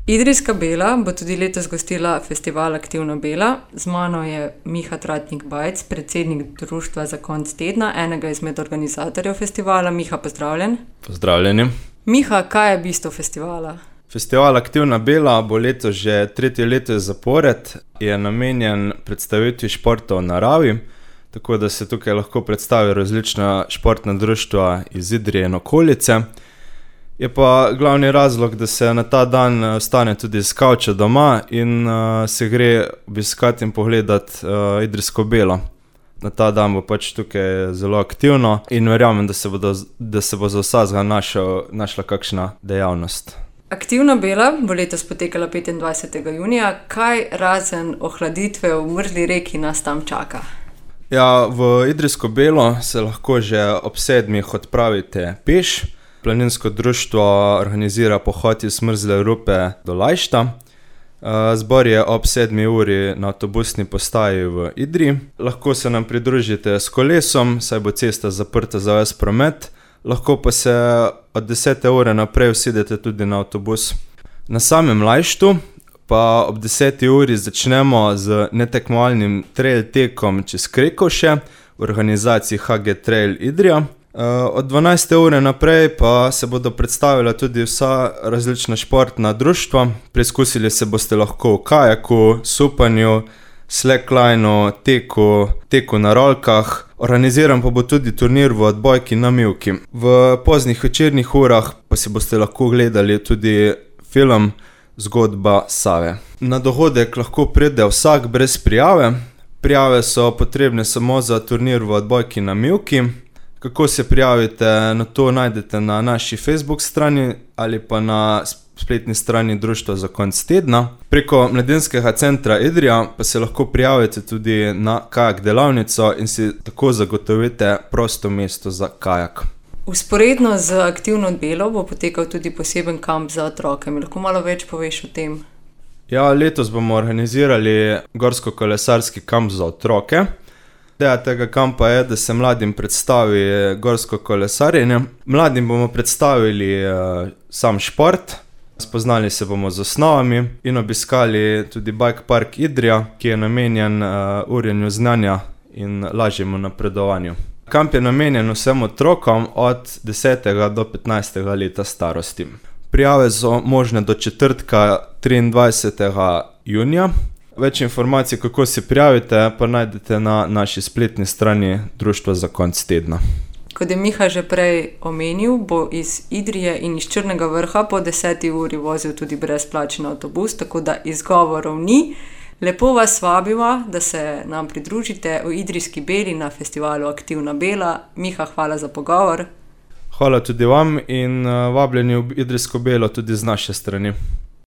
Idrijska Bela bo tudi letos gostila festival Aktivna Bela. Z mano je Miha Tratnik Bajc, predsednik Društva za konec tedna, enega izmed organizatorjev festivala. Miha, pozdravljen. Pozdravljeni. Miha, kaj je bistvo festivala? Festival Aktivna Bela bo letos že tretje leto zapored, je namenjen predstavitvi športa v naravi, tako da se tukaj lahko predstavi različna športna društva iz Idrije in okolice. Je pa glavni razlog, da se na ta dan vstane tudi s kavča doma in se gre obiskati in pogledati Idrijsko Belo. Na ta dan bo pač tukaj zelo aktivno in verjamem, da se bo za vsakega našla kakšna dejavnost. Aktivna Bela bo letos potekala 25. junija. Kaj razen ohladitve v mrzli reki nas tam čaka? Ja, v Idrijsko Belo se lahko že ob 7. odpravite peš. Planinsko društvo organizira pohod iz mrzle rupe do Lajšta. Zbor je ob 7. uri na avtobusni postaji v Idriji. Lahko se nam pridružite s kolesom, saj bo cesta zaprta za ves promet. Lahko pa se od 10. ure naprej usedete tudi na avtobus. Na samem Lajštu pa ob 10. uri začnemo z netekmovalnim trail tekom čez Krekovše v organizaciji HG Trail Idrija. Od 12. ure naprej pa se bodo predstavila tudi vsa različna športna društva. Preizkusili se boste lahko v kajaku, supanju, slacklineu, teku na rolkah. Organiziran pa bo tudi turnir v odbojki na mivki. V poznih večernih urah pa si boste lahko gledali tudi film Zgodba Save. Na dogodek lahko pride vsak brez prijave. Prijave so potrebne samo za turnir v odbojki na mivki. Kako se prijavite, na to najdete na naši Facebook strani ali pa na spletni strani Društva za konec tedna. Preko Mladinskega centra Idrija pa se lahko prijavite tudi na kajak delavnico in si tako zagotovite prosto mesto za kajak. Vzporedno z Aktivno Belo bo potekal tudi poseben kamp za otroke. Mi lahko malo več poveš o tem? Ja, letos bomo organizirali gorsko-kolesarski kamp za otroke. Ideja tega kampa je, da se mladim predstavi gorsko kolesarjenje. Mladim bomo predstavili sam šport, spoznali se bomo z osnovami in obiskali tudi Bike Park Idrija, ki je namenjen urjenju znanja in lažjemu napredovanju. Kamp je namenjen vsem otrokom od 10. do 15. leta starosti. Prijave so možne do četrtka 23. junija. Več informacij, kako se prijavite, pa najdete na naši spletni strani Društva za konec tedna. Kot je Miha že prej omenil, bo iz Idrije in iz Črnega Vrha po 10. uri vozil tudi brezplačen avtobus, tako da izgovorov ni. Lepo vas vabimo, da se nam pridružite v Idrijski Beli na festivalu Aktivna Bela. Miha, hvala za pogovor. Hvala tudi vam in vabljeni v Idrijsko Belo tudi z naše strani.